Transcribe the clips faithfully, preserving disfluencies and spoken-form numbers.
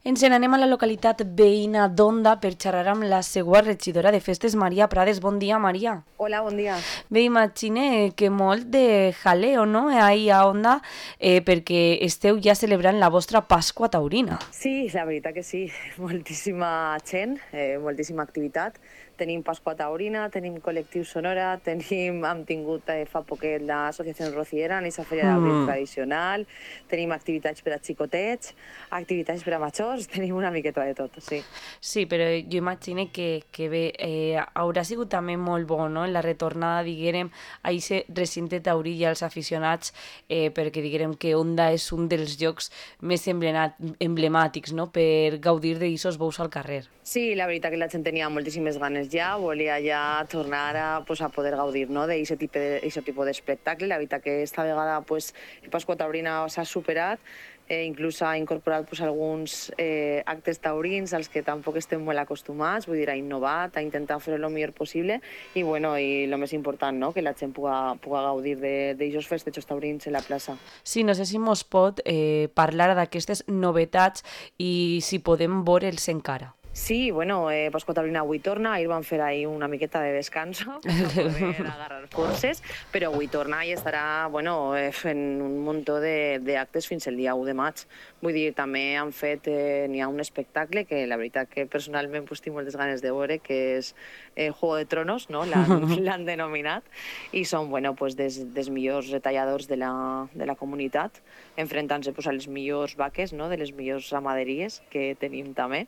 Ens n'anem a la localitat veïna d'Onda per xerrar amb la seva regidora de festes, Maria Prades. Bon dia, Maria. Hola, bon dia. Bé, imagine que molt de jaleo, no?, ahí a Onda, eh, perquè esteu ja celebrant la vostra Pasqua Taurina. Sí, la veritat que sí, moltíssima gent, eh, moltíssima activitat. Tenim Pasqua Taurina, tenim Col·lectiu Sonora, tenim, hem tingut eh, fa poquet l'associació Rociera, en aquesta feria d'abril Mm. tradicional, tenim activitats per a xicotets, activitats per a majors, tenim una miqueta de tot, sí. Sí, però jo imagine que, que bé, eh, haurà sigut també molt bo, no?, en la retornada, diguérem, a aquest recinte taurí i als aficionats, eh, perquè diguérem que Onda és un dels llocs més emblenat- emblemàtics, no?, per gaudir d'aquests bous al carrer. Sí, la veritat que la gent tenia moltíssimes ganes ja, volia ja tornar a, pues, a poder gaudir, no?, d'aquest tipus de, d'aquest tipus d'espectacle. La veritat que esta vegada pues, el Pasqua Taurina s'ha superat, eh, inclús s'ha incorporat pues, alguns eh, actes taurins als que tampoc estem molt acostumats, vull dir, ha innovat, ha intentat fer-ho el millor possible i, bueno, i el més important, no?, que la gent puga, puga gaudir d'aquests festejos taurins en la plaça. Sí, no sé si mos pot eh, parlar d'aquestes novetats i si podem veure'ls encara. Sí, bueno, eh, Pasqua Taurina avui torna, ahir van fer ahir una miqueta de descanso per poder agarrar forces, però avui torna i estarà, bueno, eh, fent un muntó de- d'actes fins el dia u de maig. Vull dir, també han fet, eh, n'hi ha un espectacle que la veritat que personalment pues, tinc moltes ganes de veure, que és eh, Juego de Tronos, no?, l'han l'han denominat, i són, bueno, pues, des, des millors retalladors de la, de la comunitat, enfrontant-se pues, a les millors vaques, no?, de les millors ramaderies que tenim també.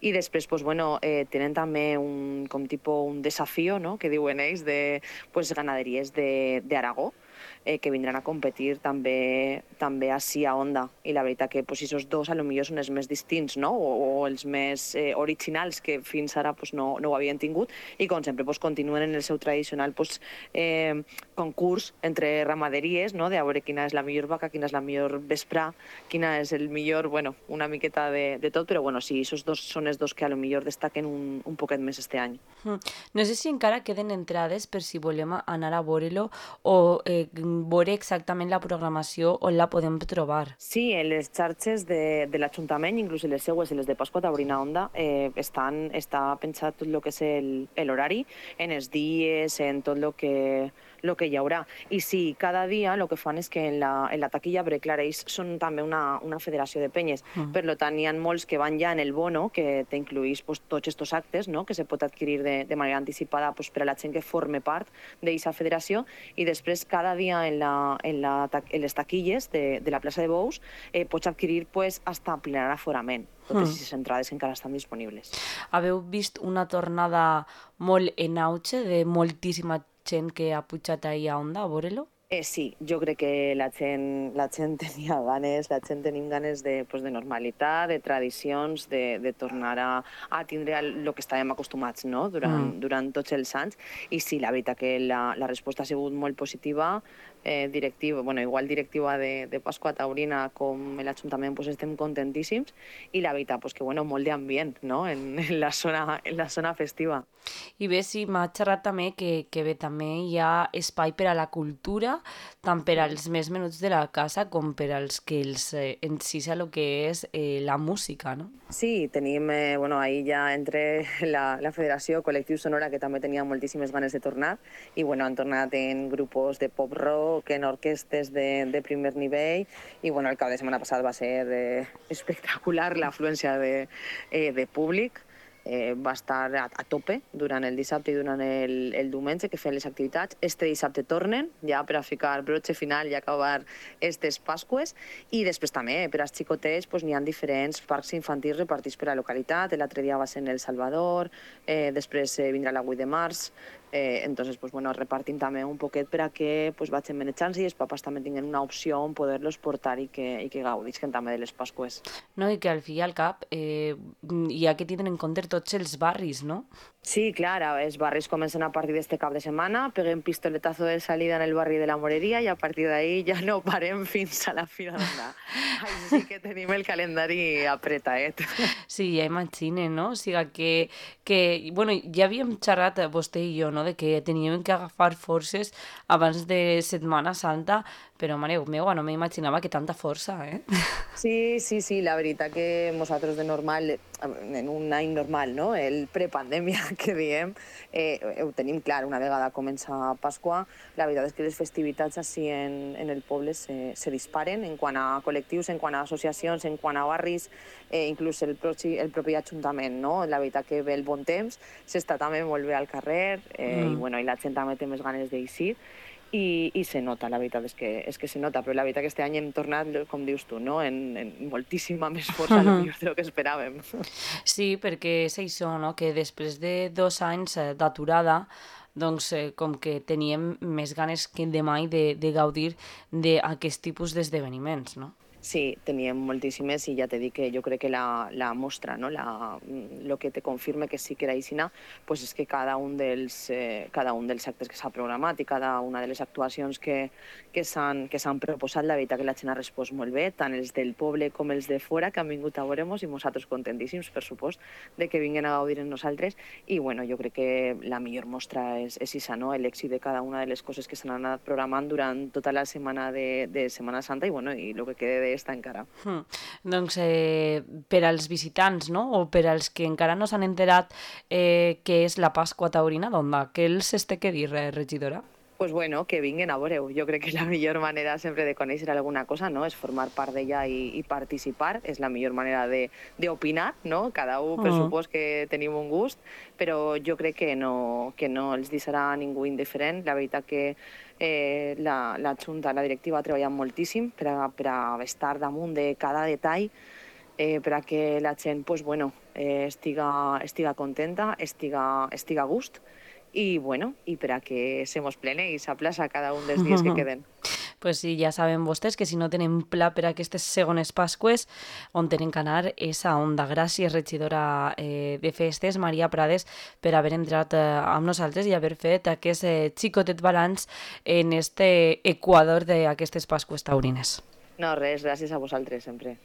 I després, pues, bueno, eh, tenen també un, com tipus un desafío, no?, que diuen ells, de pues, ganaderies d'Aragó, eh, que vindran a competir també també així a Onda. I la veritat que pues, esos dos a lo millor són els més distints, no?, o, o els més eh, originals que fins ara pues, no, no ho havien tingut, i com sempre pues, continuen en el seu tradicional pues, eh, concurs entre ramaderies, no?, de a veure quina és la millor vaca, quina és la millor vesprà, quina és el millor, bueno, una miqueta de, de tot, però bueno, sí, esos dos són els dos que a lo millor destaquen un, un poquet més este any. Mm. No sé si encara queden entrades per si volem anar a veure-lo o eh, veure exactament la programació on la podem trobar. Sí, en les xarxes de, de l'Ajuntament, inclús en les seues i les de Pasqua Taurina Onda, eh, estan, està pensat tot el que és el- l'horari, en els dies, en tot el que, lo que hi haurà. I sí, cada dia el que fan és que en la, en la taquilla, perquè clar, ells són també una, una federació de penyes, Mm. per tant hi ha molts que van ja en el bono, que t'incluís pues, tots aquests actes, no?, que se pot adquirir de, de manera anticipada pues, per a la gent que forme part d'aquesta federació, i després cada dia en, la, en, la, ta- en les taquilles de, de la plaça de Bous eh, pots adquirir pues, hasta plenar aforament. Totes Mm. aquestes entrades encara estan disponibles. Haveu vist una tornada molt en auge de moltíssima gent que ha pujat ahir a Onda a veure-lo? Eh, sí, jo crec que la gent, la gent tenia ganes, la gent tenim ganes de, pues, de normalitat, de tradicions, de, de tornar a, a tindre el que estàvem acostumats, no?, durant, Mm. durant tots els anys. I sí, la veritat que la, la resposta ha sigut molt positiva, eh, directiva, bueno, igual directiva de, de Pasqua Taurina com l'Ajuntament pues, estem contentíssims, i la veritat pues, que bueno, molt d'ambient, no?, en, en, la zona, en la zona festiva. I bé, sí, m'ha xerrat també que, que bé, també hi ha espai per a la cultura, tant per als més menuts de la casa com per als que els eh, encisa el que és eh, la música, no? Sí, tenim, eh, bueno, ahí ja entre la, la Federació Col·lectiu Sonora, que també tenia moltíssimes ganes de tornar, i bueno, han tornat en grupos de pop-rock, en orquestes de, de primer nivell, i bueno, el cap de setmana passat va ser eh, espectacular l'afluència de, eh, de públic. Eh, va estar a, a tope durant el dissabte i durant el, el diumenge que feien les activitats. Este dissabte tornen ja per a ficar broche final i acabar estes Pasques, i després també per als xicotets pues, n'hi ha diferents parcs infantils repartits per a la localitat. L'altre dia va ser en El Salvador, eh, després eh, vindrà la vuit de març, eh, entonces pues, bueno, repartim també un poquet per a que pues, vagin manejant i els papàs també tinguin una opció on poder-los portar i que, i que gaudisquen també de les Pasques. No? I que al fi i al cap eh, hi ha que tindre en compte tots els barris, no? Sí, clar, els barris comencen a partir d'este cap de setmana, peguem pistoletazo de salida en el barri de la Moreria i a partir d'ahí ja no parem fins a la Fira d'Ondà. Així que tenim el calendari apretaet. Sí, ja imagine, no? O sigui que, que bueno, ja havíem xerrat vostè i jo, no?, no?, de que teníem que agafar forces abans de Setmana Santa, però, mare meva, no m'imaginava que tanta força, eh? Sí, sí, sí, la veritat que nosaltres de normal, en un any normal, no?, el prepandèmia que diem, eh, ho tenim clar, una vegada comença Pasqua, la veritat és que les festivitats així en, en el poble se, se disparen en quant a col·lectius, en quant a associacions, en quant a barris, eh, inclús el, propi, el propi ajuntament, no? La veritat que ve el bon temps, s'està també molt bé al carrer, eh, mm. i, bueno, i la gent també té més ganes d'eixir, I, i se nota, la veritat és que, és que se nota, però la veritat que este any hem tornat, com dius tu, no?, en, en moltíssima més força uh-huh. del que esperàvem. Sí, perquè és això, no?, que després de dos anys d'aturada, doncs eh, com que teníem més ganes que de mai de, de gaudir d'aquest tipus d'esdeveniments, no? Sí, teníem moltíssimes i ja t'he dit que jo crec que la, la mostra, no? la, lo que te confirma que sí que era aixina, pues és que cada un dels, eh, cada un dels actes que s'ha programat i cada una de les actuacions que, que s'han que s'han proposat, la veritat que la gent ha respost molt bé, tant els del poble com els de fora, que han vingut a veure-nos i nosaltres contentíssims, per supost, de que vinguen a gaudir amb nosaltres. I bueno, jo crec que la millor mostra és, és això, no? L'èxit de cada una de les coses que s'han anat programant durant tota la setmana de, de Setmana Santa i, bueno, i el que quede de està encara. Hmm. Doncs eh, per als visitants, no?, o per als que encara no s'han enterat eh, què és la Pasqua Taurina d'Onda, què els té que dir, eh, regidora? Pues bueno, que vinguen a veure-ho. Jo crec que la millor manera sempre de conèixer alguna cosa, no?, és formar part d'ella i, i participar, és la millor manera d'opinar, no? Cada un, per supòs que tenim un gust, però jo crec que no, que no els deixarà ningú indiferent. La veritat que eh, la, la Junta, la directiva, ha treballat moltíssim per a, per a estar damunt de cada detall, eh, per a que la gent pues, bueno, eh, estiga, estiga contenta, estiga, estiga a gust, i, bueno, i per a que se mos pleneis a plaça cada un dels dies que queden. Pues sí, ja saben vostès que si no tenen pla per a aquestes segones Pasques, on tenen que anar és a Onda. Gràcies, regidora eh, de Festes, Maria Prades, per haver entrat eh, amb nosaltres i haver fet aquest eh, xicotet balanç en este equador d'aquestes Pasques taurines. No, res, gràcies a vosaltres, sempre.